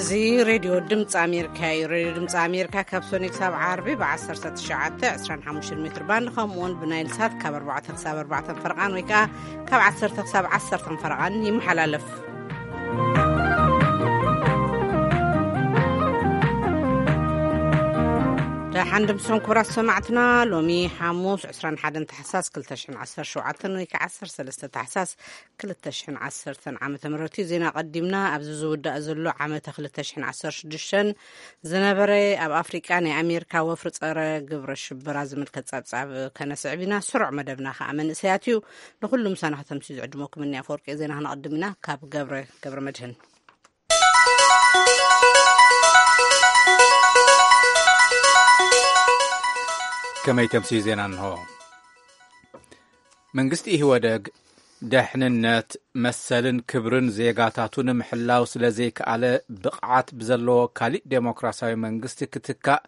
እዚ ሬድዮ ድምፂ ኣሜሪካ እዩ። ሬድዮ ድምፂ ኣሜሪካ ካብ ሶኒ ክሳብ ዓርቢ ብ19፣ 25 ሜትር ባንድ፣ ከምኡውን ብናይል ሳት ካብ ኣርባዕተ ክሳብ ኣርባዕተ ፈረቓን ወይ ከዓ ካብ ዓሰርተ ክሳብ ዓሰርተ ፈረቓን ይመሓላለፍ። ደሓን ድምሶም ክቡራት ሰማዕትና፣ ሎሚ ሓሙስ ዕስራን ሓደን ታሕሳስ ክልተ ሽሕን ዓሰርተ ሸውዓተን ወይ ከዓ ዓሰርተ ሰለስተ ታሕሳስ ክልተ ሽሕን ዓሰርተን ዓመተ ምህረት እዩ። ዜና ቀዲምና፣ ኣብዚ ዝውዳእ ዘሎ ዓመተ ክልተ ሽሕን ዓሰርተ ሽዱሽተን ዝነበረ ኣብ ኣፍሪቃ ናይ ኣሜሪካ ወፍሪ ጸረ ግብረ ሽበራ ዝምልከት ጸብጻብ ከነስዕብ ኢና። ስሩዕ መደብና ከዓ መንእሰያት እዩ። ንኹሉ ምሳና ከተምሲ ዝዕድመኩም እኒ ኣፈወርቂ። ዜና ክነቐድም ኢና ካብ ገብረ፣ ገብረ መድህን። ከመይ ተምሲ ዜና እንሆ። መንግስቲ ኢህወደግ ደሕንነት፣ መሰልን ክብርን ዜጋታቱ ንምሕላው ስለ ዘይከኣለ፣ ብቕዓት ብዘለዎ ካሊእ ዴሞክራሲያዊ መንግስቲ ክትካእ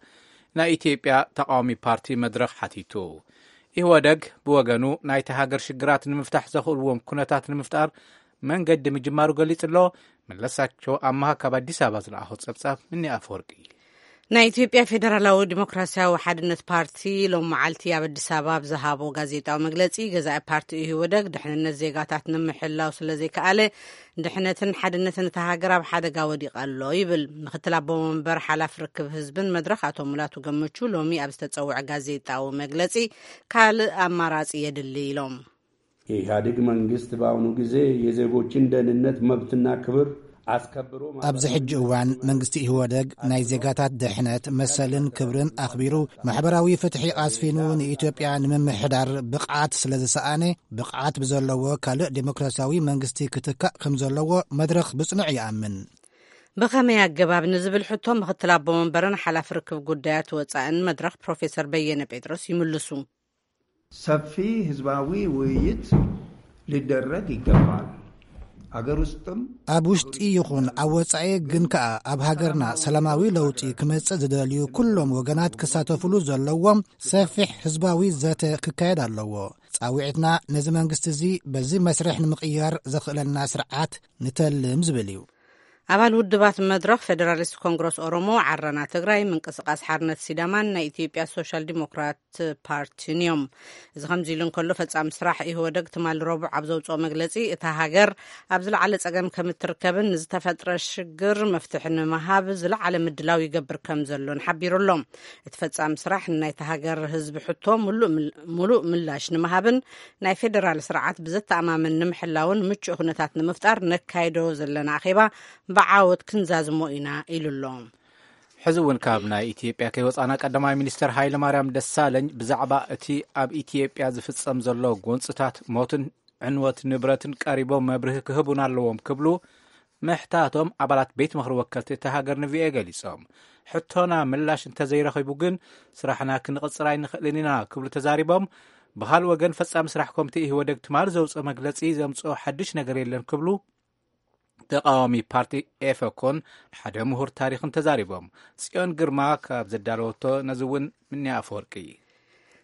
ናይ ኢትዮጵያ ተቃዋሚ ፓርቲ መድረኽ ሓቲቱ። ኢህወደግ ብወገኑ፣ ናይቲ ሃገር ሽግራት ንምፍታሕ ዘኽእልዎም ኩነታት ንምፍጣር መንገዲ ምጅማሩ ገሊጹ ኣሎ። መለሳቸው ኣማሃ ካብ ኣዲስ ኣበባ ዝለኣኾ ጸብጻብ እኒ ኣፈወርቂ። ናይ ኢትዮጵያ ፌደራላዊ ዲሞክራሲያዊ ሓድነት ፓርቲ ሎም መዓልቲ ኣብ ኣዲስ ኣበባ ኣብ ዝሃቦ ጋዜጣዊ መግለጺ፣ ገዛኢ ፓርቲ ኢህወደግ ድሕንነት ዜጋታት ንምሕላው ስለ ዘይከኣለ፣ ድሕነትን ሓድነትን እታ ሃገር ኣብ ሓደጋ ወዲቑ ኣሎ ይብል። ምክትል ኣቦ መንበር ሓላፊ ርክብ ህዝብን መድረኽ ኣቶ ሙላቱ ገመቹ ሎሚ ኣብ ዝተጸውዐ ጋዜጣዊ መግለጺ፣ ካልእ ኣማራጺ የድሊ ኢሎም። የኢህአዴግ መንግስት በአሁኑ ጊዜ የዜጎችን ደህንነት፣ መብትና ክብር አስከብሮ ኣብዚ ሕጂ እዋን መንግስቲ ኢህወደግ ናይ ዜጋታት ድሕነት፣ መሰልን ክብርን ኣኽቢሩ፣ ማሕበራዊ ፍትሒ ኣስፊኑ ንኢትዮጵያ ንምምሕዳር ብቕዓት ስለ ዝሰኣነ፣ ብቕዓት ብዘለዎ ካልእ ዴሞክራሲያዊ መንግስቲ ክትካእ ከም ዘለዎ መድረኽ ብጽኑዕ ይኣምን። ብኸመይ ኣገባብ ንዝብል ሕቶ፣ ምክትል ኣቦ መንበርን ሓላፊ ርክብ ጉዳያት ወጻእን መድረኽ ፕሮፌሰር በየነ ጴጥሮስ ይምልሱ። ሰፊ ህዝባዊ ውይይት ሊደረግ ይገባል። አገር ውስጥም ኣብ ውሽጢ ይኹን ኣብ ወጻኢ፣ ግን ከኣ ኣብ ሃገርና ሰላማዊ ለውጢ ክመጽእ ዝደልዩ ኩሎም ወገናት ክሳተፉሉ ዘለዎም ሰፊሕ ህዝባዊ ዘተ ክካየድ ኣለዎ። ጻውዒትና ነዚ መንግስቲ እዚ በዚ መስርሕ ንምቕያር ዘኽእለና ስርዓት ንተልም ዝብል እዩ። ኣባል ውድባት መድረኽ፣ ፌደራሊስት ኮንግረስ ኦሮሞ፣ ዓረና ትግራይ፣ ምንቅስቃስ ሓርነት ሲዳማን ናይ ኢትዮጵያ ሶሻል ዲሞክራት ፓርቲን እዮም። እዚ ከምዚ ኢሉ እንከሎ፣ ፈጻሚ ስራሕ ኢህወደግ ትማሊ ረቡዕ ኣብ ዘውፅኦ መግለፂ፣ እታ ሃገር ኣብ ዝለዓለ ፀገም ከም እትርከብን ንዝተፈጥረ ሽግር መፍትሒ ንምሃብ ዝለዓለ ምድላው ይገብር ከም ዘሎን ሓቢሩ ኣሎ። እቲ ፈጻሚ ስራሕ ንናይታ ሃገር ህዝቢ ሕቶ ምሉእ ምል-፣ ምሉእ ምላሽ ንምሃብን ናይ ፌደራል ስርዓት ብዘተኣማምን ንምሕላውን ምቹእ ኩነታት ንምፍጣር ነካይዶ ዘለና ኣኼባ ብዓወት ክንዛዝሞ ኢና ኢሉ ኣሎ። ሕዚ እውን ካብ ናይ ኢትዮጵያ ከይወፃና፣ ቀዳማይ ሚኒስትር ሃይለ ማርያም ደሳለኝ ብዛዕባ እቲ ኣብ ኢትዮጵያ ዝፍጸም ዘሎ ጎንፅታት፣ ሞትን ዕንወት ንብረትን ቀሪቦም መብርሂ ክህቡና ኣለዎም ክብሉ ምሕታቶም ኣባላት ቤት ምኽሪ ወከልቲ እቲ ሃገር ንቪኦኤ ገሊጾም። ሕቶና ምላሽ እንተዘይረኺቡ ግን ስራሕና ክንቕጽር ኣይንኽእልን ኢና ክብሉ ተዛሪቦም። ብኻልእ ወገን፣ ፈጻሚ ስራሕ ኮሚቴ ኢህወደግ ትማሊ ዘውፅኦ መግለጺ ዘምፅኦ ሓድሽ ነገር የለን ክብሉ ተቃዋሚ ፓርቲ ኤፈኮን ሓደ ምሁር ታሪኽን ተዛሪቦም። ጽዮን ግርማ ካብ ዘዳለወቶ ነዚ እውን ምንያ ኣፈወርቂ።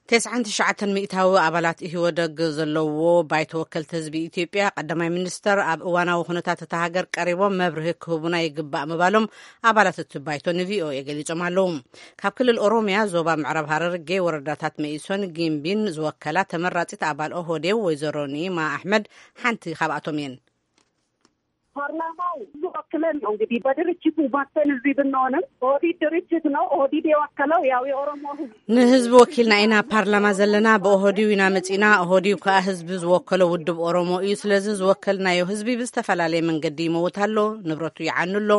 ተስዓን ትሽዓተን ሚእታዊ ኣባላት ኢህወደግ ዘለዎ ባይቶ ወከልቲ ህዝቢ ኢትዮጵያ፣ ቀዳማይ ሚኒስተር ኣብ እዋናዊ ኩነታት እታ ሃገር ቀሪቦም መብርሂ ክህቡና ይግባእ ምባሎም ኣባላት እቲ ባይቶ ንቪኦኤ ገሊጾም ኣለዉ። ካብ ክልል ኦሮሚያ ዞባ ምዕራብ ሃረርጌ ወረዳታት መኢሶን ጊምቢን ዝወከላ ተመራጺት ኣባል ኦህዴው ወይዘሮ ኒማ ኣሕመድ ሓንቲ ካብኣቶም እየን። ፓርላማው ብዙ ወክለን ነው እንግዲህ በድርጅቱ ባተን እዚህ ብንሆንም ኦህዴድ ድርጅት ነው። ኦህዴድ የወከለው ያው የኦሮሞ ህዝብ። ንህዝቢ ወኪልና ኢና ፓርላማ ዘለና፣ ብኦህዴው ኢና መጺና። ኦህዴው ከኣ ህዝቢ ዝወከሎ ውድብ ኦሮሞ እዩ። ስለዚ ዝወከልናዮ ህዝቢ ብዝተፈላለየ መንገዲ ይመውት ኣሎ፣ ንብረቱ ይዓኑ ኣሎ፣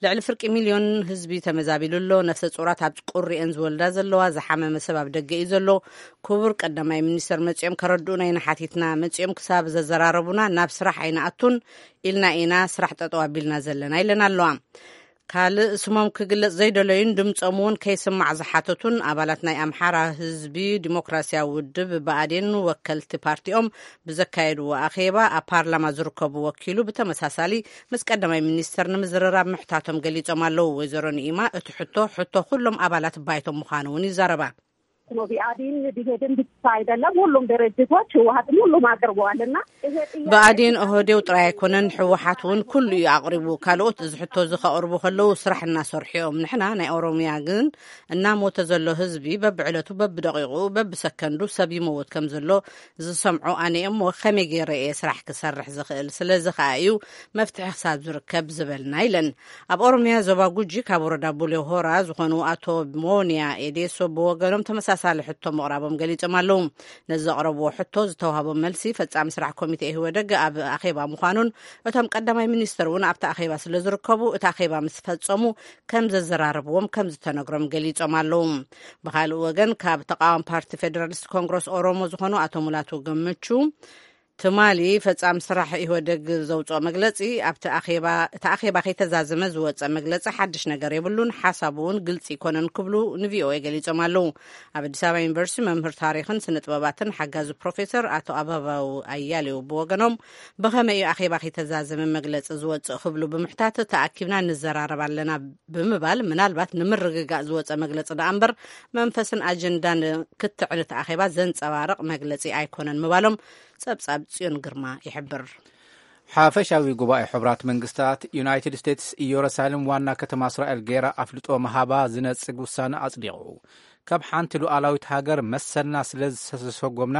ልዕሊ ፍርቂ ሚልዮን ህዝቢ ተመዛቢሉ ኣሎ፣ ነፍሰ ጹራት ኣብ ቁሪኤን ዝወልዳ ዘለዋ፣ ዝሓመመ ሰብ ኣብ ደገ እዩ ዘሎ። ክቡር ቀዳማይ ሚኒስተር መጺኦም ከረድኡና ኢና ሓቲትና፣ መጺኦም ክሳብ ዘዘራረቡና ናብ ስራሕ ኣይንኣቱን ኢልና ኢና ስራሕ ጠጠው ኣቢልና ዘለና ኢለን ኣለዋ። ካልእ ስሞም ክግለጽ ዘይደለዩን ድምጾም እውን ከይስማዕ ዝሓተቱን ኣባላት ናይ ኣምሓራ ህዝቢ ዲሞክራሲያዊ ውድብ ብኣዴን ወከልቲ ፓርቲኦም ብዘካየድዎ ኣኼባ፣ ኣብ ፓርላማ ዝርከቡ ወኪሉ ብተመሳሳሊ ምስ ቀዳማይ ሚኒስተር ንምዝርራብ ምሕታቶም ገሊጾም ኣለዉ። ወይዘሮ ንኢማ እቲ ሕቶ፣ ሕቶ ኩሎም ኣባላት ባይቶ ምዃኑ እውን ይዛረባ። ብኣዴን ብሄድን ብቻ አይደለም፣ ሁሉም ድርጅቶች፣ ህወሓትም ሁሉም አቅርበዋልና። ብኣዴን ኦህዴው ጥራይ ኣይኮነን፣ ህወሓት እውን ኩሉ እዩ ኣቕሪቡ። ካልኦት እዚ ሕቶ እዚ ከቕርቡ ከለዉ ስራሕ እናሰርሑ እዮም። ንሕና ናይ ኦሮምያ ግን እናሞተ ዘሎ ህዝቢ በብዕለቱ፣ በብደቂቑ፣ በብሰከንዱ ሰብ ይመውት ከም ዘሎ ዝሰምዑ ኣነ እሞ ከመይ ገይረ እየ ስራሕ ክሰርሕ ዝኽእል? ስለዚ ከኣ እዩ መፍትሒ ክሳብ ዝርከብ ዝበልና ኢለን። ኣብ ኦሮምያ ዞባ ጉጂ ካብ ወረዳ ቡሌ ሆራ ዝኾኑ ኣቶ ሞንያ ኤዴሶ ብወገኖም ተመሳሳሊ ሕቶ ምቕራቦም ገሊጾም ኣለዉ። ነዚ ዘቕረብዎ ሕቶ ዝተዋህቦም መልሲ ፈጻሚ ስራሕ ኮሚቴ ኢህወደግ ኣብ ኣኼባ ምዃኑን እቶም ቀዳማይ ሚኒስትር እውን ኣብቲ ኣኼባ ስለ ዝርከቡ እቲ ኣኼባ ምስ ፈጸሙ ከም ዘዘራርብዎም ከም ዝተነግሮም ገሊጾም ኣለዉ። ብኻልእ ወገን ካብ ተቃዋሚ ፓርቲ ፌደራሊስት ኮንግረስ ኦሮሞ ዝኾኑ ኣቶ ሙላቱ ገመቹ ትማሊ ፈጻሚ ስራሕ ኢህወደግ ዘውፅኦ መግለፂ ኣብቲ ኣኼባ እቲ ኣኼባ ከይተዛዘመ ዝወፀ መግለፂ ሓድሽ ነገር የብሉን፣ ሓሳቡ እውን ግልፂ ይኮነን ክብሉ ንቪኦኤ ገሊፆም ኣለዉ። ኣብ ኣዲስ ኣበባ ዩኒቨርሲቲ መምህር ታሪክን ስነ ጥበባትን ሓጋዚ ፕሮፌሰር ኣቶ ኣበባው ኣያሌው ብወገኖም ብኸመይ እዩ ኣኼባ ከይተዛዘመ መግለፂ ዝወፅእ ክብሉ ብምሕታት ተኣኪብና ንዘራረብ ኣለና ብምባል ምናልባት ንምርግጋእ ዝወፀ መግለፂ ደኣ እምበር መንፈስን ኣጀንዳን ክትዕን እቲ ኣኼባ ዘንፀባርቕ መግለፂ ኣይኮነን ምባሎም ጸብጻብ ጽዮን ግርማ ይሕብር። ሓፈሻዊ ጉባኤ ሕቡራት መንግስታት፣ ዩናይትድ ስቴትስ ኢየሩሳሌም ዋና ከተማ እስራኤል ገይራ ኣፍልጦ ምሃባ ዝነጽግ ውሳነ ኣጽዲቑ። ካብ ሓንቲ ሉዓላዊት ሃገር መሰልና ስለ ዝተሰጎምና፣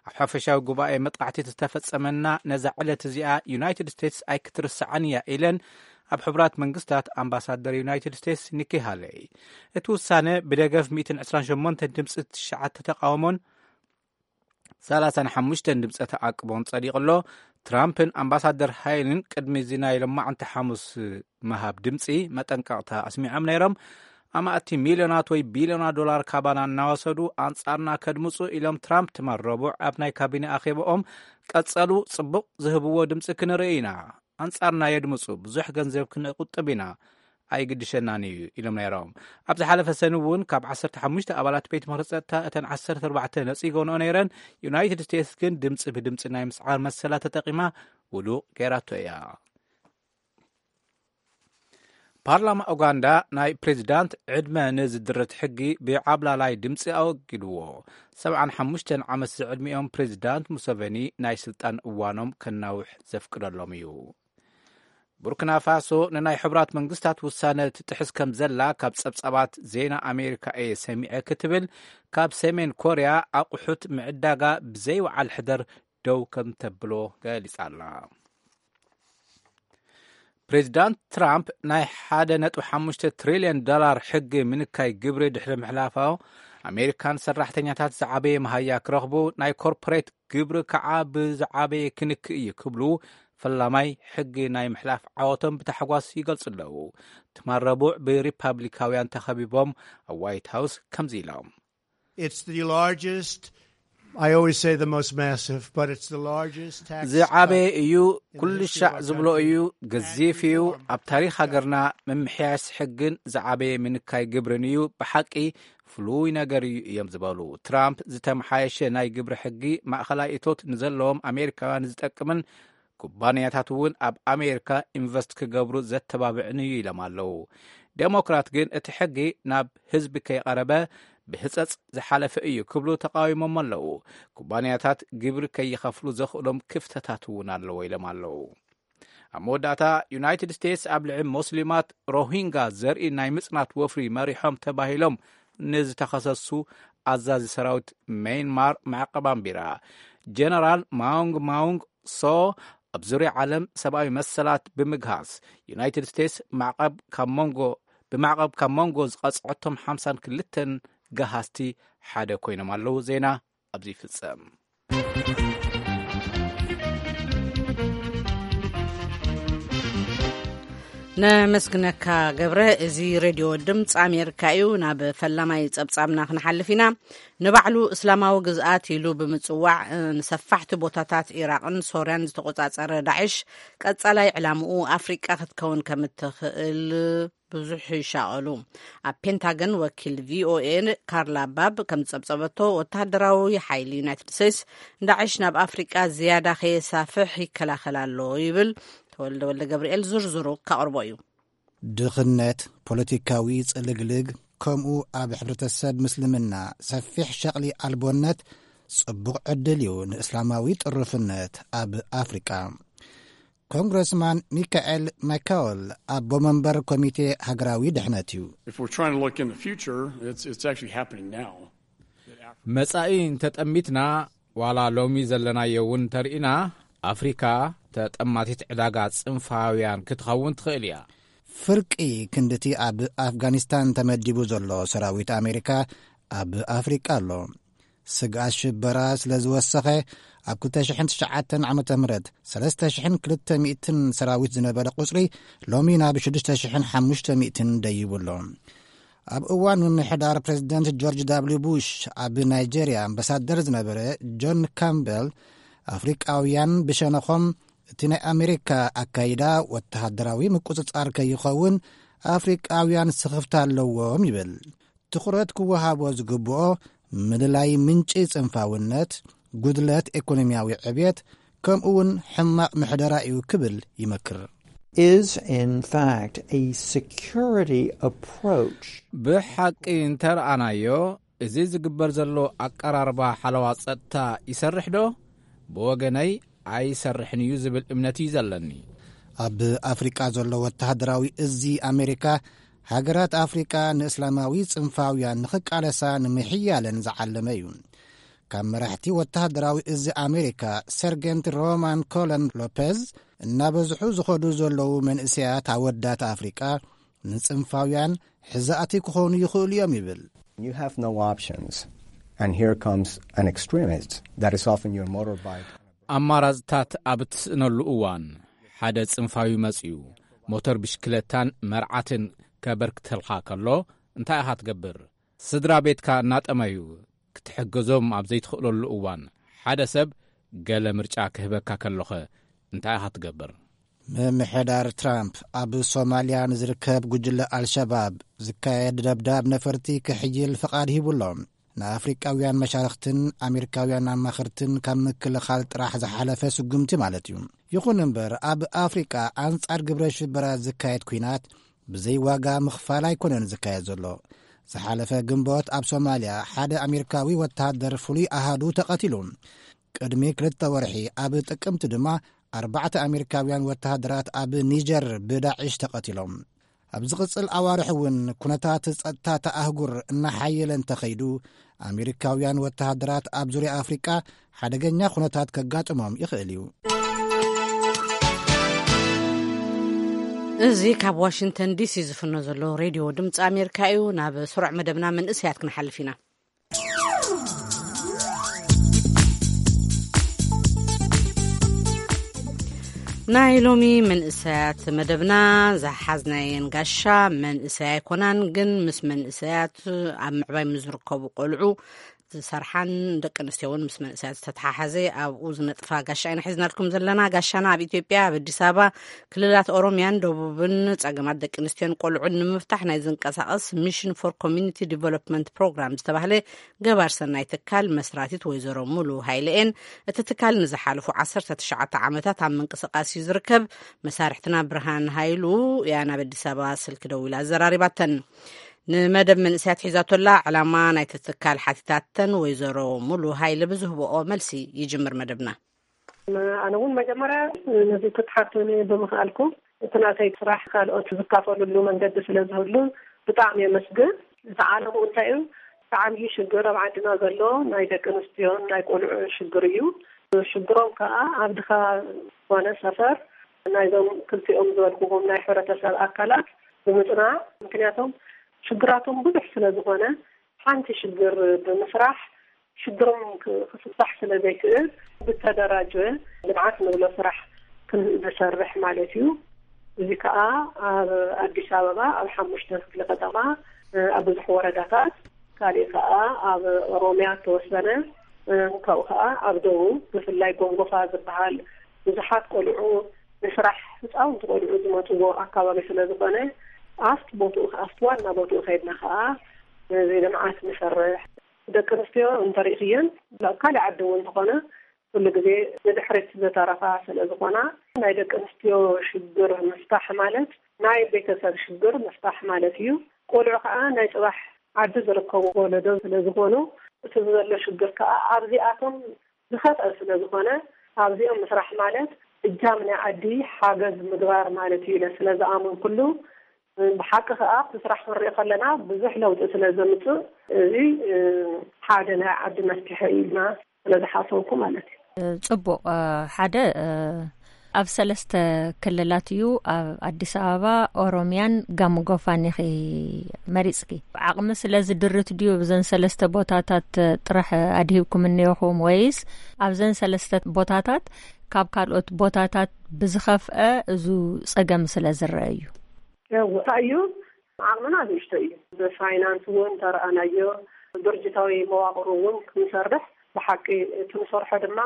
ኣብ ሓፈሻዊ ጉባኤ መጥቃዕቲ ዝተፈጸመና ነዛ ዕለት እዚኣ ዩናይትድ ስቴትስ ኣይክትርስዓን እያ ኢለን ኣብ ሕቡራት መንግስታት ኣምባሳደር ዩናይትድ ስቴትስ ኒኪ ሃለይ። እቲ ውሳነ ብደገፍ ሚእትን ዕስራን ሸሞንተን ድምጺ፣ ትሽዓተ ተቃውሞን ሰላሳን ሓሙሽተን ድምፀ ተኣቅቦን ጸዲቑ ኣሎ። ትራምፕን ኣምባሳደር ሃይልን ቅድሚ እዚ ናይ ሎማዕንቲ ሓሙስ ምሃብ ድምፂ መጠንቀቕታ ኣስሚዖም ነይሮም። ኣማእቲ ሚልዮናት ወይ ቢልዮናት ዶላር ካባና እናወሰዱ ኣንጻርና ከድምፁ ኢሎም ትራምፕ ትማል ረቡዕ ኣብ ናይ ካቢነ ኣኼባኦም ቀጸሉ። ጽቡቕ ዝህብዎ ድምፂ ክንርኢ ኢና። ኣንጻርና የድምፁ፣ ብዙሕ ገንዘብ ክንቁጥብ ኢና፣ ኣይግድሸናን እዩ ኢሎም ነይሮም። ኣብ ዝሓለፈ ሰኒ እውን ካብ ዓሰርተ ሓሙሽተ ኣባላት ቤት ምኽሪ ጸጥታ እተን ዓሰርተ ኣርባዕተ ነጺጎንኦ ነይረን። ዩናይትድ ስቴትስ ግን ድምፂ ብድምፂ ናይ ምስዓር መሰላ ተጠቂማ ውዱቕ ገይራቶ እያ። ፓርላማ ኡጋንዳ ናይ ፕሬዚዳንት ዕድመ ንዝድርት ሕጊ ብዓብላላይ ድምፂ ኣወጊድዎ። ሰብዓን ሓሙሽተን ዓመት ዝዕድሚኦም ፕሬዚዳንት ሙሰቨኒ ናይ ስልጣን እዋኖም ከናውሕ ዘፍቅደሎም እዩ። ቡርኪና ፋሶ ንናይ ሕቡራት መንግስታት ውሳነ ትጥሕስ ከም ዘላ ካብ ጸብጻባት ዜና ኣሜሪካ እየ ሰሚዐ ክትብል ካብ ሰሜን ኮርያ ኣቑሑት ምዕዳጋ ብዘይወዓል ሕደር ደው ከም ተብሎ ገሊጻ ኣላ። ፕሬዚዳንት ትራምፕ ናይ ሓደ ነጥቢ ሓሙሽተ ትሪልዮን ዶላር ሕጊ ምንካይ ግብሪ ድሕሪ ምሕላፋ ኣሜሪካን ሰራሕተኛታት ዝዓበየ መሃያ ክረኽቡ ናይ ኮርፖሬት ግብሪ ከዓ ብዝዓበየ ክንክእ እዩ ክብሉ ፈላማይ ሕጊ ናይ ምሕላፍ ዓወቶም ብታሕጓስ ይገልጹ ኣለዉ። ትማል ረቡዕ ብሪፓብሊካውያን ተኸቢቦም ኣብ ዋይት ሃውስ ከምዚ ኢሎም። It's the largest, I always say the most massive, but it's the largest tax ዝዓበየ እዩ። ኩሉ ሻዕ ዝብሎ እዩ። ገዚፍ እዩ። ኣብ ታሪክ ሃገርና ምምሕያሽ ሕግን ዝዓበየ ምንካይ ግብርን እዩ። ብሓቂ ፍሉይ ነገር እዩ እዮም ዝበሉ ትራምፕ። ዝተመሓየሸ ናይ ግብሪ ሕጊ ማእኸላይ እቶት ንዘለዎም ኣሜሪካውያን ዝጠቅምን ኩባንያታት እውን ኣብ ኣሜሪካ ኢንቨስት ክገብሩ ዘተባብዕን እዩ ኢሎም ኣለዉ። ዴሞክራት ግን እቲ ሕጊ ናብ ህዝቢ ከይቐረበ ብህጸጽ ዝሓለፈ እዩ ክብሉ ተቃዊሞም ኣለዉ። ኩባንያታት ግብሪ ከይኸፍሉ ዘኽእሎም ክፍተታት እውን ኣለዎ ኢሎም ኣለዉ። ኣብ መወዳእታ ዩናይትድ ስቴትስ ኣብ ልዕሊ ሞስሊማት ሮሂንጋ ዘርኢ ናይ ምጽናት ወፍሪ መሪሖም ተባሂሎም ንዝተኸሰሱ ኣዛዚ ሰራዊት ሜይንማር ማዕቀብ ኣንቢራ። ጀነራል ማውንግ ማውንግ ሶ ኣብ ዙርያ ዓለም ሰብኣዊ መሰላት ብምግሃስ ዩናይትድ ስቴትስ ማዕቀብ ካብ መንጎ ብማዕቐብ ካብ መንጎ ዝቐጽዐቶም ሓምሳን ክልተን ገሃስቲ ሓደ ኮይኖም ኣለዉ። ዜና ኣብዚ ይፍጸም። ነመስግነካ ገብረ። እዚ ሬድዮ ድምፂ ኣሜሪካ እዩ። ናብ ፈላማይ ጸብጻብና ክንሓልፍ ኢና። ንባዕሉ እስላማዊ ግዝኣት ኢሉ ብምጽዋዕ ንሰፋሕቲ ቦታታት ኢራቕን ሶርያን ዝተቆጻጸረ ዳዕሽ ቀጻላይ ዕላምኡ ኣፍሪቃ ክትከውን ከም እትኽእል ብዙሕ ይሻቐሉ። ኣብ ፔንታገን ወኪል ቪኦኤ ካርላ ባብ ከም ዝጸብጸበቶ፣ ወተሃደራዊ ሓይሊ ዩናይትድ ስቴትስ ዳዕሽ ናብ ኣፍሪቃ ዝያዳ ከየሳፍሕ ይከላኸል ኣሎ ይብል። ተወልደ ወልደ ገብርኤል ዝርዝሩ ካቕርቦ እዩ። ድኽነት፣ ፖለቲካዊ ጽልግልግ፣ ከምኡ ኣብ ሕብረተሰብ ምስልምና ሰፊሕ ሸቕሊ ኣልቦነት ጽቡቕ ዕድል እዩ ንእስላማዊ ጥሩፍነት ኣብ ኣፍሪቃ። ኮንግረስማን ሚካኤል ማይካወል፣ ኣቦ መንበር ኮሚቴ ሃገራዊ ድሕነት እዩ። If we're trying to look in the future, it's, it's actually happening now. መጻኢ እንተጠሚትና፣ ዋላ ሎሚ ዘለናዮ እውን እንተርኢና፣ ኣፍሪካ ተጠማቲት ዕዳጋ ጽንፋውያን ክትኸውን ትኽእል እያ። ፍርቂ ክንድቲ ኣብ ኣፍጋኒስታን ተመዲቡ ዘሎ ሰራዊት ኣሜሪካ ኣብ ኣፍሪቃ ኣሎ። ስግኣት ሽበራ ስለ ዝወሰኸ፣ ኣብ ክልተ ሽሕን ትሽዓተን ዓመተ ምህረት ሰለስተ ሽሕን ክልተ ሚእትን ሰራዊት ዝነበረ ቁጽሪ ሎሚ ናብ ሽዱሽተ ሽሕን ሓሙሽተ ሚእትን ደይቡ ኣሎ። ኣብ እዋን ምምሕዳር ፕሬዚደንት ጆርጅ ዳብሊው ቡሽ ኣብ ናይጄርያ ኣምባሳደር ዝነበረ ጆን ካምበል፣ ኣፍሪቃውያን ብሸነኾም እቲ ናይ ኣሜሪካ ኣካይዳ ወተሃደራዊ ምቁጽጻር ከይኸውን ኣፍሪቃውያን ስኽፍታ ኣለዎም ይብል። ትኹረት ክወሃቦ ዝግብኦ ምልላይ ምንጪ ጽንፋውነት፣ ጉድለት ኢኮኖሚያዊ ዕብየት፣ ከምኡ እውን ሕማቕ ምሕደራ እዩ ክብል ይመክር። Is in fact a security approach. ብሓቂ እንተረኣናዮ፣ እዚ ዝግበር ዘሎ ኣቀራርባ ሓለዋ ጸጥታ ይሰርሕ ዶ? ብወገነይ ኣይሰርሕን እዩ ዝብል እምነት እዩ ዘለኒ። ኣብ ኣፍሪቃ ዘሎ ወተሃደራዊ እዚ ኣሜሪካ፣ ሃገራት ኣፍሪቃ ንእስላማዊ ጽንፋውያን ንኽቃለሳ ንምሕያለን ዝዓለመ እዩ። ካብ መራሕቲ ወተሃደራዊ እዚ ኣሜሪካ፣ ሰርጌንት ሮማን ኮለን ሎፔዝ፣ እናበዝሑ ዝኸዱ ዘለዉ መንእሰያት ኣወዳት ኣፍሪቃ ንጽንፋውያን ሕዛእቲ ክኾኑ ይኽእሉ እዮም ይብል። You have no options. And here comes an extremist that is off in your motorbike. ኣማራጽታት ኣብ እትስእነሉ እዋን፣ ሓደ ጽንፋዊ መጽዩ ሞተር ብሽክለታን መርዓትን ከበርክተልካ ከሎ፣ እንታይ ኢኻ ትገብር? ስድራ ቤትካ እናጠመዩ ክትሕግዞም ኣብ ዘይትኽእለሉ እዋን፣ ሓደ ሰብ ገለ ምርጫ ክህበካ ከሎኸ እንታይ ኢኻ ትገብር? ምምሕዳር ትራምፕ ኣብ ሶማልያ ንዝርከብ ጉጅለ ኣልሸባብ ዝካየድ ደብዳብ ነፈርቲ ክሕይል ፍቓድ ሂቡ ኣሎ። ንኣፍሪቃውያን መሻርኽትን ኣሜሪካውያን ኣማኽርትን ካብ ምክልኻል ጥራሕ ዝሓለፈ ስጉምቲ ማለት እዩ። ይኹን እምበር፣ ኣብ ኣፍሪቃ ኣንጻር ግብረ ሽበራ ዝካየድ ኲናት ብዘይ ዋጋ ምኽፋል ኣይኮነን ዝካየድ ዘሎ። ዝሓለፈ ግንቦት ኣብ ሶማልያ ሓደ ኣሜሪካዊ ወተሃደር ፍሉይ ኣሃዱ ተቐቲሉ። ቅድሚ ክልተ ወርሒ ኣብ ጥቅምቲ ድማ ኣርባዕተ ኣሜሪካውያን ወተሃደራት ኣብ ኒጀር ብዳዕሽ ተቐቲሎም። ኣብ ዝቕጽል ኣዋርሕ እውን ኩነታት ጸጥታ ተኣህጉር እናሓየለ እንተኸይዱ፣ ኣሜሪካውያን ወተሃደራት ኣብ ዙርያ ኣፍሪቃ ሓደገኛ ኩነታት ከጋጥሞም ይኽእል እዩ። እዚ ካብ ዋሽንግተን ዲሲ ዝፍኖ ዘሎ ሬድዮ ድምፂ ኣሜሪካ እዩ። ናብ ስሩዕ መደብና መንእሰያት ክንሓልፍ ኢና። ናይ ሎሚ መንእሰያት መደብና ዝሓዝናየን ጋሻ መንእሰያ ኣይኮናን፣ ግን ምስ መንእሰያት ኣብ ምዕባይ ምስ ዝርከቡ ቆልዑ ዝሰርሓን ደቂ ኣንስትዮ እውን ምስ መንእሰያት ዝተተሓሓዘ ኣብኡ ዝነጥፋ ጋሻ ኢና ሒዝናልኩም ዘለና። ጋሻና ኣብ ኢትዮጵያ ኣብ ኣዲስ ኣበባ ክልላት ኦሮሚያን ደቡብን ጸገማት ደቂ ኣንስትዮን ቆልዑን ንምፍታሕ ናይ ዝንቀሳቐስ ሚሽን ፎር ኮሚኒቲ ዲቨሎፕመንት ፕሮግራም ዝተባህለ ገባር ሰናይ ትካል መስራቲት ወይዘሮ ሙሉ ሃይለኤን እቲ ትካል ንዝሓለፉ ዓሰርተ ትሽዓተ ዓመታት ኣብ ምንቅስቓስ እዩ ዝርከብ። መሳርሕትና ብርሃን ሃይሉ እያ ናብ ኣዲስ ኣበባ ስልኪ ደዊላ ኣዘራሪባተን። ንመደብ መንእሰያት ሒዛቶላ ዕላማ ናይቲ ትካል ሓቲታተን ወይዘሮ ሙሉ ሃይለ ብዝህብኦ መልሲ ይጅምር መደብና። ኣነ እውን መጀመርያ ነዚ ክትሓቱኒ ብምኽኣልኩም፣ እቲ ናተይ ስራሕ ካልኦት ዝካፈሉሉ መንገዲ ስለ ዝህሉ ብጣዕሚ የመስግን። እቲ ዓለምኡ እንታይ እዩ? እቲ ዓብዪ ሽግር ኣብ ዓድና ዘሎ ናይ ደቂ ኣንስትዮን ናይ ቆልዑ ሽግር እዩ። ሽግሮም ከዓ ኣብ ድኻ ዝኾነ ሰፈር ናይዞም ክልቲኦም ዝበልኩኹም ናይ ሕብረተሰብ ኣካላት ብምፅናዕ፣ ምክንያቶም ሽግራቶም ብዙሕ ስለ ዝኾነ ሓንቲ ሽግር ብምስራሕ ሽግሮም ክ- ክፍታሕ ስለ ዘይክእል ብተደራጀ ልምዓት ንብሎ ስራሕ ክንሰርሕ ማለት እዩ። እዚ ከዓ ኣብ ኣዲስ ኣበባ ኣብ ሓሙሽተ ክፍለ ከተማ እ፣ ኣብ ብዙሕ ወረዳታት፣ ካሊእ ከዓ ኣብ ኦሮሚያ ተወሰነ እ፣ ካብኡ ከዓ ኣብ ደቡብ ብፍላይ ጎንጎፋ ዝበሃል ብዙሓት ቆልዑ ንስራሕ ህፃውንቲ ቆልዑ ዝመፅዎ ኣካባቢ ስለ ዝኾነ ኣብቲ ቦትኡ፣ ኣብቲ ዋና ቦትኡ ከይድና ከዓ ነዚ ልምዓት ንሰርሕ። ደቂ ኣንስትዮ እንተሪእኽየን፣ ኣብ ካልእ ዓዲ እውን እንተኾነ፣ ኩሉ ግዜ ንድሕሪት ዝተረፋ ስለ ዝኾና፣ ናይ ደቂ ኣንስትዮ ሽግር ምፍታሕ ማለት ናይ ቤተሰብ ሽግር ምፍታሕ ማለት እዩ። ቆልዑ ከዓ ናይ ጽባሕ ዓዲ ዝርከቡ ወለዶ ስለ ዝኾኑ፣ እቲ ዘሎ ሽግር ከዓ ኣብዚኣቶም ዝኸፍአ ስለ ዝኾነ፣ ኣብዚኦም ምስራሕ ማለት እጃም ናይ ዓዲ ሓገዝ ምግባር ማለት እዩ ኢለ ስለ ዝኣመንኩሉ፣ ብሓቂ ከዓ ኣብቲ ስራሕ ክንሪኦ ከለና ብዙሕ ለውጢ ስለ ዘምፅእ፣ እዚ ሓደ ናይ ዓዲ መፍትሒ እዩ ኢልና ስለ ዝሓሰብኩ ማለት እዩ። ጽቡቕ። ሓደ፣ ኣብ ሰለስተ ክልላት እዩ፣ ኣብ ኣዲስ ኣበባ፣ ኦሮሚያን ጋሞ ጎፋን ኢኺ መሪጽኪ። ዓቕሚ ስለ ዝድርት ድዩ ብዘን ሰለስተ ቦታታት ጥራሕ ኣድሂብኩም እኒኦኹም፣ ወይስ ኣብዘን ሰለስተ ቦታታት ካብ ካልኦት ቦታታት ብዝኸፍአ እዙ ጸገም ስለ ዝረአ እዩ? እወ፣ እንታይ እዩ፣ ዓቕምና ንእሽቶ እዩ። ብፋይናንስ እውን ተረኣናዮ፣ ድርጅታዊ መዋቕሩ እውን ክንሰርሕ፣ ብሓቂ እቲ ንሰርሖ ድማ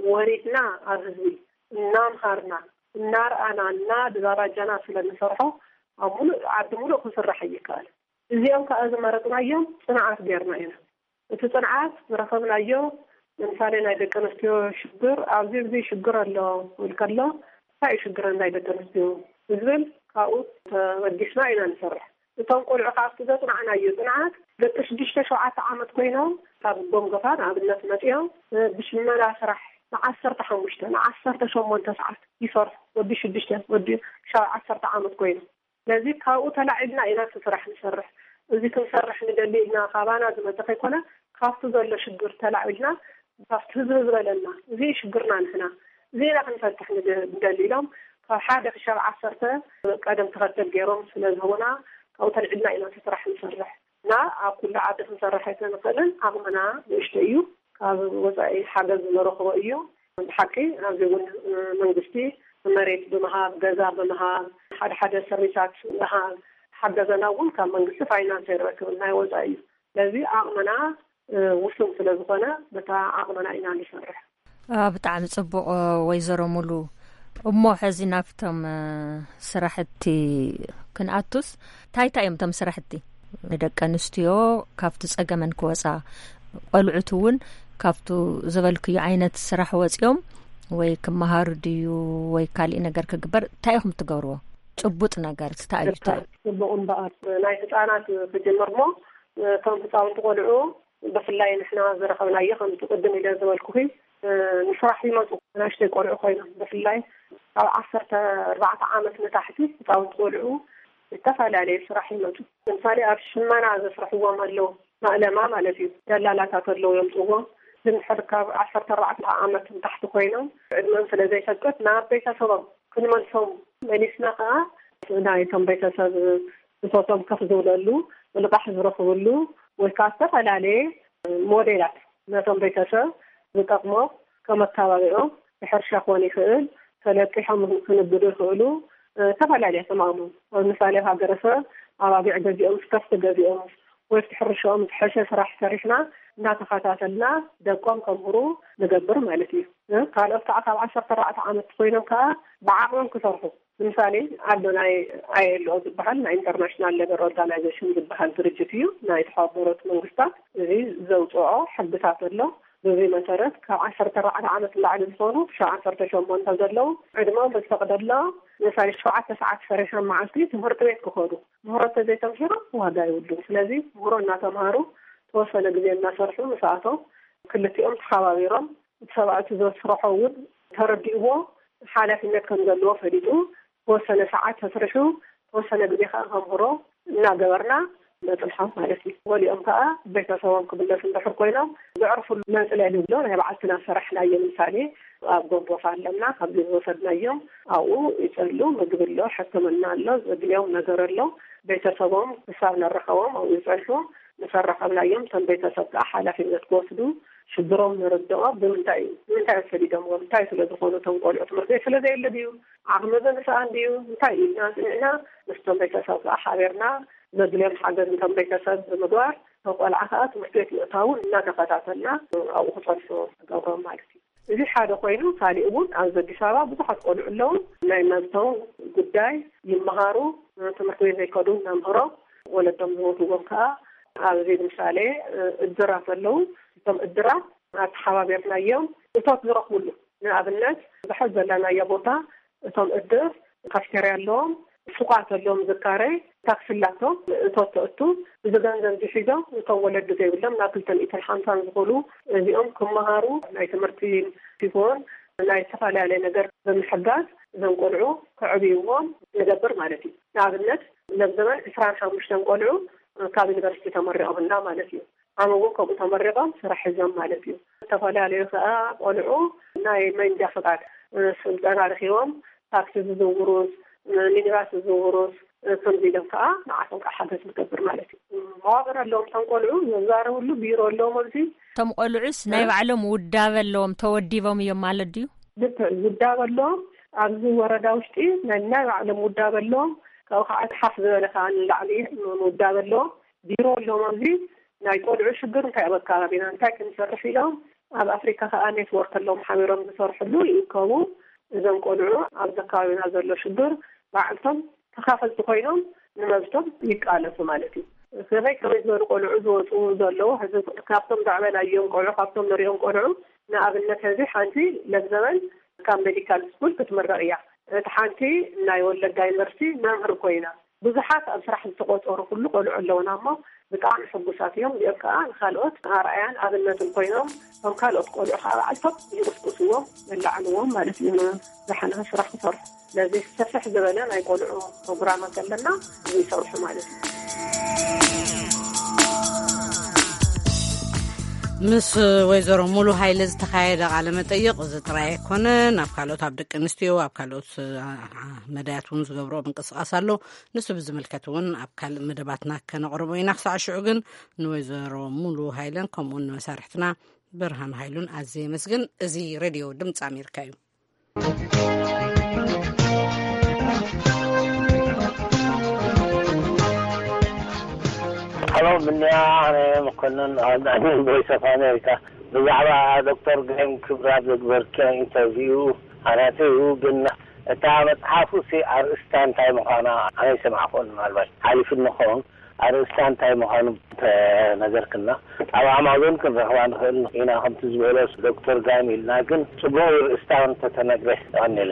ወሪድና ኣብ ህዝቢ እናምሃርና፣ እናርኣና፣ እናደራጃና ስለ ንሰርሖ፣ ኣብ ሙሉእ ዓዲ ሙሉእ ክስራሕ ኣይከኣልን። እዚኦም ከዓ ዝመረፅናዮም ፅንዓት ጌርና ኢና። እቲ ጽንዓት ዝረኸብናዮ፣ ንምሳሌ ናይ ደቂ ኣንስትዮ ሽግር፣ ኣብዚ እዚ ሽግር ኣሎ ክብል ከሎ፣ እንታይ እዩ ሽግረን ናይ ደቂ ኣንስትዮ ዝብል ካብኡ ተበጊስና ኢና ንሰርሕ። እቶም ቆልዑ ካብ ዘጽናዕናዮ ጽንዓት፣ ደቂ ሽዱሽተ ሸውዓተ ዓመት ኮይኖም ካብ ጎንጎፋ ንኣብነት መጺኦም፣ ብሽመና ስራሕ ንዓሰርተ ሓሙሽተ፣ ንዓሰርተ ሸሞንተ ሰዓት ይሰርሑ። ወዲ ሽዱሽተ፣ ወዲ ሻብ ዓሰርተ ዓመት ኮይኖም። ስለዚ ካብኡ ተላዒልና ኢና እቲ ስራሕ ንሰርሕ። እዚ ክንሰርሕ ንደሊ ኢልና ካባና ዝመጸ ከይኮነ፣ ካብቲ ዘሎ ሽግር ተላዒልና፣ ካብቲ ህዝቢ ዝበለና፣ እዚ ሽግርና ንሕና፣ እዚ ኢና ክንፈትሕ ንደ-፣ ንደሊ ኢሎም፣ ካብ ሓደ ክሻብ ዓሰርተ ቀደም ተኸተል ገይሮም ስለ ዝህቡና፣ ካብኡ ተልዒልና ኢና እቲ ስራሕ ንሰርሕ። እና ኣብ ኩሉ ዓዲ ክንሰርሕ ኣይተንኽእልን፣ ዓቕምና ንእሽቶ እዩ። ካብ ወጻኢ ሓገዝ ንረኽቦ እዩ። ብሓቂ ኣብዚ እውን መንግስቲ መሬት ብምሃብ፣ ገዛ ብምሃብ፣ ሓደ ሓደ ሰርቪሳት ብምሃብ ሓገዘና እውን ካብ መንግስቲ ፋይናንስ ኣይንረክብን፣ ናይ ወጻኢ እዩ። ስለዚ ዓቕምና ውሱን ስለ ዝኾነ በታ ዓቕምና ኢና ንሰርሕ። ብጣዕሚ ጽቡቕ። ወይዘሮ ሙሉ፣ እሞ ሕዚ ናብቶም ስራሕቲ ክንኣቱስ፣ እንታይ እንታይ እዮም እቶም ስራሕቲ? ንደቂ ኣንስትዮ ካብቲ ጸገመን ክወጻ፣ ቆልዑት እውን ካብቱ ዝበልክዮ ዓይነት ስራሕ ወጺኦም ወይ ክመሃሩ ድዩ ወይ ካሊእ ነገር ክግበር፣ እንታይ ኢኹም ትገብርዎ? ጭቡጥ ነገር እንታይ እዩ? እንታይ እዩ? ጽቡቕ እምበኣር፣ ናይ ህጻናት ክጅምር እሞ፣ እቶም ህጻውንቲ ቆልዑ ብፍላይ ንሕና ዝረኸብናዮ፣ ከምቲ ቅድም ኢለ ዝበልኩኺ፣ ንስራሕ ይመጹ። ንእሽተይ ቆልዑ ኮይኖም፣ ብፍላይ ካብ ዓሰርተ ኣርባዕተ ዓመት ንታሕቲ ህጻውንቲ ቆልዑ ዝተፈላለየ ስራሕ ይመጹ። ለምሳሌ ኣብ ሽመና ዘስርሕዎም ኣለዉ፣ ማእለማ ማለት እዩ። ደላላታት ኣለዉ የምጽዎም። ግን ሕድ ካብ ዓሰርተ ኣርባዕተ ዓመት ንታሕቲ ኮይኖም፣ ዕድመኦም ስለ ዘይፈቅድ ናብ ቤተሰቦም ክንመልሶም፣ መሊስና ከኣ ናይቶም ቤተሰብ ብጾቶም ከፍ ዝብለሉ፣ ብልቓሕ ዝረኽብሉ፣ ወይ ከኣ ዝተፈላለየ ሞዴላት ነቶም ቤተሰብ ዝጠቕሞም፣ ከም ኣተባቢዖም፣ ብሕርሻ ክኾን ይኽእል፣ ተለቂሖም ክንግዱ ይኽእሉ፣ እ፣ ዝተፈላለየ ተማእሙ። ኣብ ምሳሌ ሃገረሰብ ኣባጊዕ ገዚኦም፣ ከፍቲ ገዚኦም፣ ወይ ኣብቲ ሕርሻኦም ዝሐሸ ስራሕ ሰሪሕና እናተኸታተልና ደቆም ከምህሩ ንገብር ማለት እዩ። እ፣ ካልኦት ከዓ ካብ ዓሰርተ ኣርባዕተ ዓመት ኮይኖም ከዓ ብዓቕሞም ክሰርሑ። ንምሳሌ ኣሎ ናይ ኣይ ኤል ኦ ዝበሃል፣ ናይ ኢንተርናሽናል ሌበር ኦርጋናይዜሽን ዝበሃል ድርጅት እዩ፣ ናይ ተሓበሩት መንግስታት። እዚ ዘውፅኦ ሕግታት ኣሎ። በዚ መሰረት ካብ ዓሰርተ ኣርባዕተ ዓመት ንላዕሊ ዝኾኑ፣ ክሻብ ዓሰርተ ሸሞንተ ዘለዉ፣ ዕድመኦም ብዝፈቅደሎ፣ ምሳሌ ሸውዓተ ሰዓት ሰሪሖም መዓልቲ ትምህርቲ ቤት ክኸዱ። ምህሮ እንተዘይተምሂሮም ዋጋ የብሉን። ስለዚ ምህሮ እናተምሃሩ፣ ተወሰነ ግዜ እናሰርሑ፣ ምስኣቶም ክልቲኦም ተሓባቢሮም፣ እቲ ሰብኣይ እቲ ዘስርሖ እውን ተረዲእዎ፣ ሓላፍነት ከም ዘለዎ ፈሊጡ፣ ተወሰነ ሰዓት ተስርሑ፣ ተወሰነ ግዜ ከዓ ከምህሮ እናገበርና ነጽንሖም ማለት እዩ። ገሊኦም ከዓ ቤተሰቦም ክምለሱ እንድሕር ኮይኖም፣ ዘዕርፉሉ መጽለሊ ንብሎ ናይ ባዕልትና ሰራሕናዮ። ንምሳሌ፣ ኣብ ጎንጎፋ ኣለና፣ ካብዚ ዝወሰድናዮም ኣብኡ ይጸሉ፣ ምግቢ ኣሎ፣ ሕክምና ኣሎ፣ ዘድልዮም ነገር ኣሎ። ቤተሰቦም ክሳብ ነረኸቦም ኣብኡ ይጸንሑ። ምስ ኣረኸብናዮም፣ እቶም ቤተሰብ ከዓ ሓላፍነት ክወስዱ፣ ሽግሮም ንርድኦ። ብምንታይ እዩ፣ ንምንታይ እዮም ሰዲዶምዎም፣ እንታይ ስለ ዝኾኑ እቶም ቆልዑ፣ ትምህርቲ ቤት ስለ ዘየለ ድዩ፣ ዓቕሚ ብምስኣን ድዩ፣ እንታይ እዩ ኢልና ጽኒዕና፣ ምስቶም ቤተሰብ ከዓ ሓቢርና ዘድልዮም ሓገዝ ነቶም ቤተሰብ ብምግባር፣ እቶም ቆልዓ ከዓ ትምህርቲ ቤት ምእታውን እናተኸታተልና ኣብኡ ክጸንሑ ንገብሮም ማለት እዩ። እዚ ሓደ ኮይኑ፣ ካሊእ እውን ኣብዚ ኣዲስ ኣበባ ብዙሓት ቆልዑ ኣለዉ። ናይ መብቶም ጉዳይ ይመሃሩ፣ ትምህርቲ ቤት ዘይከዱ፣ መምህሮም፣ ወለዶም ዝሞትዎም ከዓ ኣብዚ ምሳሌ እድራት ኣለዉ። እቶም እድራት ኣተሓባቢርናዮም እቶት ዝረኽብሉ፣ ንኣብነት ዝሓዝ ዘለናዮ ቦታ እቶም እድር ካፍቴርያ ኣለዎም፣ ሱቓት ኣለዎም፣ ዝካረ ታክሲ ኣላቶም፣ እቶት ተእቱ፣ እዚ ገንዘብ እዚ ሒዞም እቶም ወለዲ ዘይብሎም ናብ ክልተ ሚእትን ሓምሳን ዝኾኑ እዚኦም ክመሃሩ ናይ ትምህርቲ ሲሆን ናይ ዝተፈላለየ ነገር ብምሕጋዝ እዞም ቆልዑ ከዕብይዎም ንገብር ማለት እዩ። ንኣብነት፣ ለብዘበን ዕስራን ሓሙሽተን ቆልዑ ካብ ዩኒቨርሲቲ ተመሪቖምና ማለት እዩ። ኣመጎ ከምኡ ተመሪቖም ስራሕ ሒዞም ማለት እዩ። ዝተፈላለዩ ከዓ ቆልዑ ናይ መንጃ ፍቃድ ስልጠና ረኪቦም ታክሲ ዝዝውሩስ፣ ሚኒባስ ዝዝውሩስ፣ ከምዚ ኢሎም ከዓ ንዓቶም ከዓ ሓገዝ ንገብር ማለት እዩ። መዋቅር ኣለዎም እቶም ቆልዑ፣ ዘዛረብሉ ቢሮ ኣለዎም። ኣብዚ እቶም ቆልዑስ ናይ ባዕሎም ውዳበ ኣለዎም፣ ተወዲቦም እዮም ማለት ድዩ? ልክዕ፣ ውዳበ ኣለዎም። ኣብዚ ወረዳ ውሽጢ ናይ ናይ ባዕሎም ውዳበ ኣለዎም። ካብኡ ከዓ ሓፍ ዝበለ ከዓ ንላዕሊ ውዳበ ኣለዎም። ቢሮ ኣለዎም። ኣብዚ ናይ ቆልዑ ሽግር እንታይ ኣብ ኣከባቢና እንታይ ክንሰርሕ ኢሎም ኣብ ኣፍሪካ ከዓ ኔትወርክ ኣለዎም፣ ሓቢሮም ዝሰርሕሉ ይእከቡ። እዞም ቆልዑ ኣብዚ ኣከባቢና ዘሎ ሽግር ባዕልቶም ተኻፈልቲ ኮይኖም ንመብቶም ይቃለሱ ማለት እዩ። ከመይ ከመይ ዝበሉ ቆልዑ ዝወፁ ዘለዉ፣ ሕዚ ካብቶም ዘዕበናዮም ቆልዑ፣ ካብቶም ንሪኦም ቆልዑ፣ ንኣብነት ሕዚ ሓንቲ ለብዘበን ካብ ሜዲካል ስኩል ክትምረቕ እያ። እቲ ሓንቲ ናይ ወለጋ ዩኒቨርሲቲ መምህር ኮይና። ብዙሓት ኣብ ስራሕ ዝተቆፀሩ ኩሉ ቆልዑ ኣለውና እሞ ብጣዕሚ ሕጉሳት እዮም። እዚኦም ከዓ ንካልኦት ኣርኣያን ኣብነትን ኮይኖም፣ እቶም ካልኦት ቆልዑ ከዓ ባዕልቶም ይቕስቅስዎም፣ የላዕልዎም ማለት እዩ። ዝሓለፈ ስራሕ ክሰርሑ። ስለዚ ሰፍሕ ዝበለ ናይ ቆልዑ ፕሮግራማት ኣለና፣ እዚ ይሰርሑ ማለት እዩ። ምስ ወይዘሮ ሙሉ ሃይለ ዝተኻየደ ቃለ መጠይቕ እዚ ጥራይ ኣይኮነ። ናብ ካልኦት፣ ኣብ ደቂ ኣንስትዮ፣ ኣብ ካልኦት መዳያት እውን ዝገብሮ ምንቅስቃስ ኣሎ። ንሱ ብዝምልከት እውን ኣብ ካልእ መደባትና ከነቕርቦ ኢና። ክሳዕ ሽዑ ግን ንወይዘሮ ሙሉ ሃይለን ከምኡውን ንመሳርሕትና ብርሃን ሃይሉን ኣዝየ የመስግን። እዚ ሬድዮ ድምፂ ኣሜሪካ እዩ። ሀሎ፣ ምንያ፣ ኣነ መኮንን ኣብ ዳኒ ቮይስ ኦፍ ኣሜሪካ። ብዛዕባ ዶክተር ግሬም ክብራ ዘግበርክዮ ኢንተርቪው ኣናተዩ፣ ግን እታ መጽሓፉ ሲ ኣርእስታ እንታይ ምዃና ኣነ ይሰማዕኩን፣ ምናልባት ሓሊፍኒ ክኸውን። ኣርእስታ እንታይ ምዃኑ ተነገርክና፣ ኣብ ኣማዞን ክንረኽባ ንኽእል ኢና። ከምቲ ዝበሎ ዶክተር ጋይም ኢልና፣ ግን ጽቡቕ ኣርእስታ እንተተነግረ። ቀኒለ።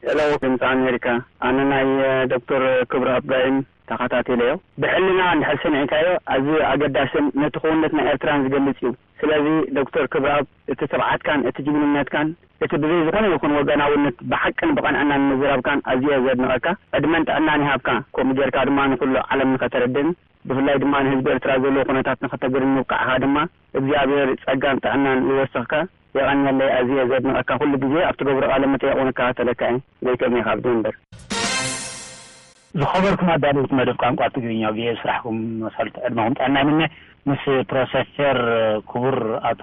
ሄሎ፣ ድምፂ ኣሜሪካ። ኣነ ናይ ዶክተር ክብረኣብ ጋይም ተኸታቲለዮ። ብሕልና እንድሕር ሰሚዕካዮ፣ ኣዝዩ ኣገዳስን ነቲ ክውንነት ናይ ኤርትራን ዝገልጽ እዩ። ስለዚ ዶክተር ክብረኣብ፣ እቲ ትብዓትካን እቲ ጅግንነትካን፣ እቲ ብዘይ ዝኾነ ይኹን ወገናውነት ብሓቅን ብቐንዕናን ምዝራብካን ኣዝየ ዘድንቐካ። ዕድመን ጥዕናን ይሃብካ። ከምኡ ጌርካ ድማ ንኹሉ ዓለም ንኸተረድእን ብፍላይ ድማ ንህዝቢ ኤርትራ ዘለዎ ኩነታት ንኸተግርን ምብቃዕኻ ድማ እግዚኣብሔር ጸጋን ጥዕናን ይወስኽካ። የቐንየለይ፣ ኣዝየ ዘድንቐካ። ኩሉ ግዜ ኣብ ትገብሮ ቃለ መጠይቕ እውን እከታተለካ እየ። ጎይቶም እየ ካብ ዴንቨር። ዝኸበርኩም ኣዳለውቲ መደብ ቋንቋ ትግርኛ፣ ብየ ስራሕኩም መሳልቲ ዕድመኹም ጥዕና ይምነ። ምስ ፕሮፌሰር ክቡር ኣቶ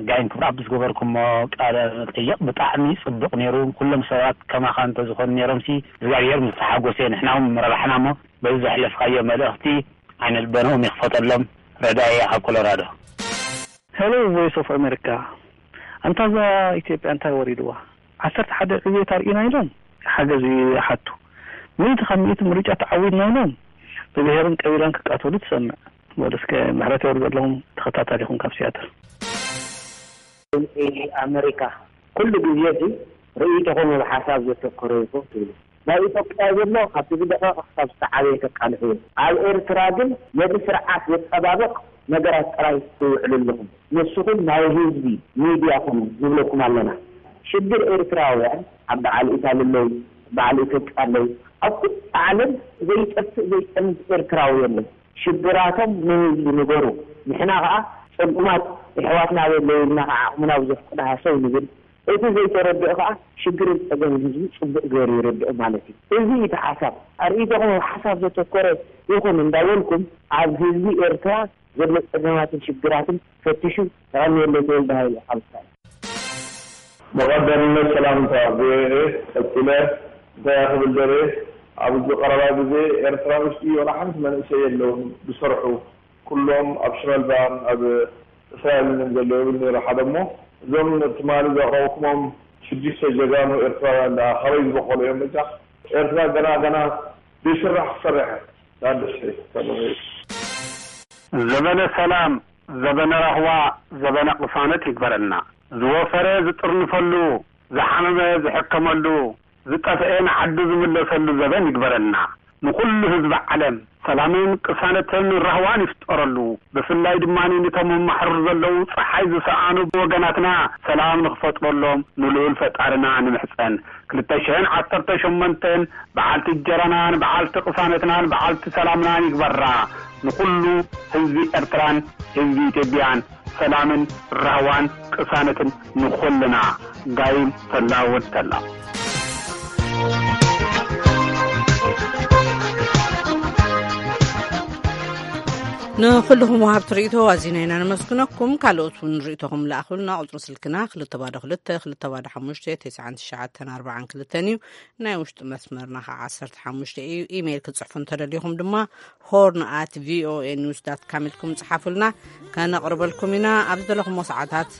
ጋይም ክብረኣብ ዝገበርኩሞ ቃለ መጠይቕ ብጣዕሚ ጽቡቕ ነይሩ። ኩሎም ሰባት ከማኻ እንተዝኾኑ ነይሮምሲ እግዚኣብሔር ምስተሓጎሰ፣ ንሕና እውን ምረባሕና እሞ በዚ ዘሕለፍካዮ መልእኽቲ ዓይነ ልቦናኦም ይኽፈተሎም። ረዳኢ እየ ካብ ኮሎራዶ። ሄሎ ቮይስ ኦፍ ኣሜሪካ፣ ኣንታ እዛ ኢትዮጵያ እንታይ ወሪድዋ? ዓሰርተ ሓደ ዕብየት ኣርኢና ኢሎም ሓገዝ ይሓቱ። ሚእቲ ካብ ሚእቲ ምርጫ ተዓዊድና ኢሎም ብብሄርን ቀቢላን ክቃተሉ ትሰምዕ። በሉ እስከ ምሕረት የውርደሎም። ተኸታታሊኹም ካብ ሲያትል። ድምፂ ኣመሪካ ኩሉ ግዜ እዚ ርእይቶኹም ኣብ ሓሳብ ዘተኮረ ይኹን ትብሉ። ናይ ኢትዮጵያ ዘሎ ካብቲ ዝደቐቐ ክሳብ ዝተዓበየ ተቃልሑ እዩ። ኣብ ኤርትራ ግን ነቲ ስርዓት ዘጸባብቕ ነገራት ጥራይ ትውዕሉ ኣለኹም። ንስኹም ናይ ህዝቢ ሚድያ ኩኑ ንብለኩም ኣለና። ሽግር ኤርትራውያን ኣብ በዓል ኢታሊ ኣለዉ፣ በዓል ኢትዮጵያ ኣለዉ። ኣብ ኩሉ ዓለም ዘይጠፍእ ዘይጸንት ኤርትራዊ የለን። ሽግራቶም ንህዝቢ ንገሩ። ንሕና ኸኣ ጸጉማት የሕዋትና ኣበይ ኣለዉ ኢልና ኸዓ ዓቕምና ብዘፍቅዶ ሃሰው ንብል። እቲ ዘይተረድኦ ኸዓ ሽግርን ጸገምን ህዝቢ ጽቡቕ ገይሩ ይርድኦ ማለት እዩ። እዚ እዩ እቲ ሓሳብ። ኣርእይቶኹም ኣብ ሓሳብ ዘተኮረ ይኹን እንዳበልኩም ኣብ ህዝቢ ኤርትራ ዘሎ ጸገማትን ሽግራትን ፈትሹ። ተቐንየለይ ተወልደ ሃይለ ካብ እስራኤል። ብቐዳምነት ሰላምታ ቪኦኤ ቀጺለ እንታይ ክብል ደልየ፣ ኣብዚ ቀረባ ግዜ ኤርትራ ውሽጢ ዋላ ሓንቲ መንእሰይ የለውን ዝሰርሑ፣ ኩሎም ኣብ ሽመልባን ኣብ እስራኤልን እዮም ዘለዉ ይብል ነይሩ ሓደ እሞ፣ እዞም ትማሊ ዘቕረብኩሞም ሽዱሽተ ጀጋኑ ኤርትራውያን ደኣ ካበይ ዝበቆሉ እዮም? በጃ ኤርትራ ገና ገና ዘይስራሕ ክሰርሕ ዳደሽ ዘበነ ሰላም፣ ዘበነ ራህዋ፣ ዘበነ ቅሳነት ይግበረልና። ዝወፈረ ዝጥርንፈሉ፣ ዝሓመመ ዝሕከመሉ፣ ዝጠፍኤ ንዓዱ ዝምለሰሉ ዘበን ይግበረልና። ንኹሉ ህዝቢ ዓለም ሰላምን ቅሳነትን ራህዋን ይፍጠረሉ። ብፍላይ ድማ ንቶም ኣብ ማሕሩር ዘለዉ ጸሓይ ዝሰኣኑ ወገናትና ሰላም ንኽፈጥረሎም ንልኡል ፈጣርና ንምሕጸን። ክልተ ሽሕን ዓሰርተ ሸሞንተን በዓልቲ እንጀራናን በዓልቲ ቅሳነትናን በዓልቲ ሰላምናን ይግበራ። ንኹሉ ህዝቢ ኤርትራን ህዝቢ ኢትዮጵያን ሰላምን ራህዋን ቅሳነትን ንኹልና። ጋይም ተላ ወድ ተላ። ንኹልኹም ወሃብቲ ርእይቶ ኣዚና ኢና ነመስግነኩም። ካልኦት እውን ርእይቶኹም ለኣኹልና። ቁጽሪ ስልክና ክልተ ባዶ ክልተ ክልተ ባዶ ሓሙሽተ ተስዓን ትሽዓተን ኣርባዓን ክልተን እዩ። ናይ ውሽጢ መስመርና ኸዓ ዓሰርተ ሓሙሽተ እዩ። ኢሜይል ክትጽሕፉ እንተደሊኹም ድማ ሆርን ኣት ቪኦኤ ኒውስ ዳት ካም ኢልኩም ጽሓፉልና፣ ከነቕርበልኩም ኢና። ኣብ ዝደለኹሞ ሰዓታት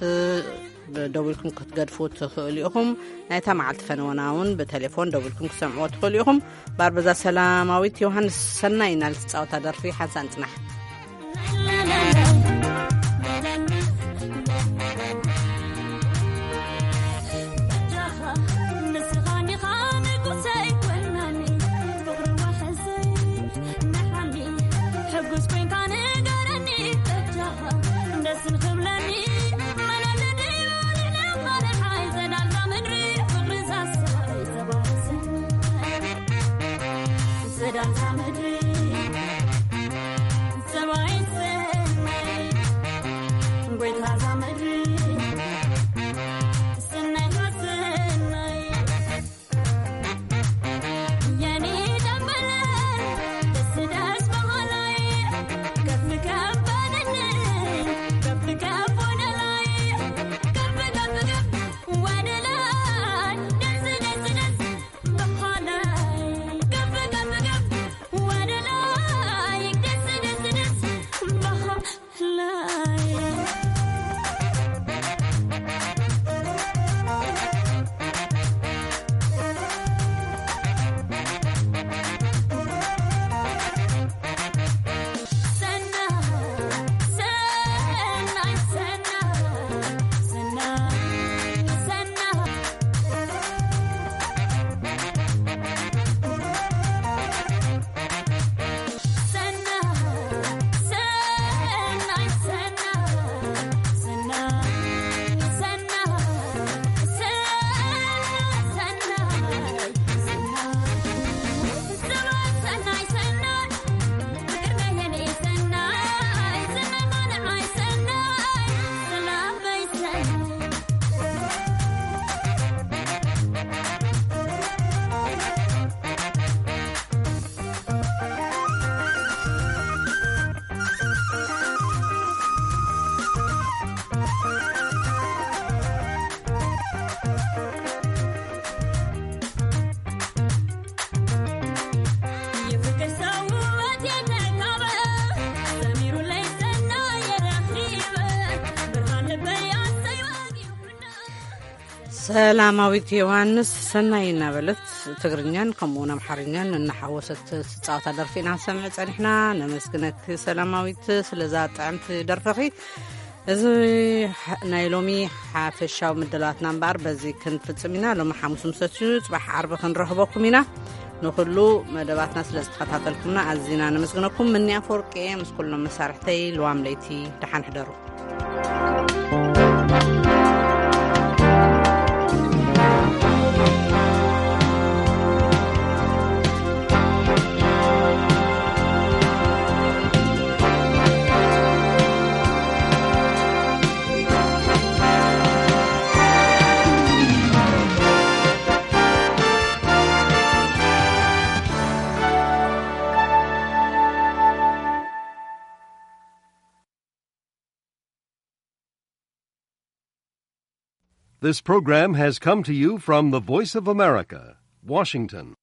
ደዊልኩም ክትገድፉ ትኽእሉ ኢኹም። ናይታ መዓልቲ ፈነወና እውን ብቴሌፎን ደዊልኩም ክሰምዕዎ ትኽእሉ ኢኹም። ባርበዛ ሰላማዊት ዮሃንስ ሰናይ ኢና ልትጻወታ ደርፊ ሓንሳእ ንጽናሕ። ሰላማዊት ዮሃንስ ሰናይ እናበለት ትግርኛን ከምኡውን ኣምሓርኛን እናሓወሰት ትጻወታ ደርፊ ኢና ንሰምዕ ጸኒሕና። ነመስግነኪ ሰላማዊት ስለዛ ጥዕምቲ ደርፍኺ። እዚ ናይ ሎሚ ሓፈሻዊ ምድላዋትና እምበኣር በዚ ክንፍጽም ኢና። ሎሚ ሓሙስ ምሰት እዩ፣ ጽባሕ ዓርቢ ክንረኽበኩም ኢና። ንኹሉ መደባትና ስለ ዝተኸታተልኩምና ኣዚና ነመስግነኩም። ምኒ ኣፈወርቂ ምስ ኩሎም መሳርሕተይ ልዋም ለይቲ ደሓን ሕደሩ። This program has come to you from the Voice of America, Washington.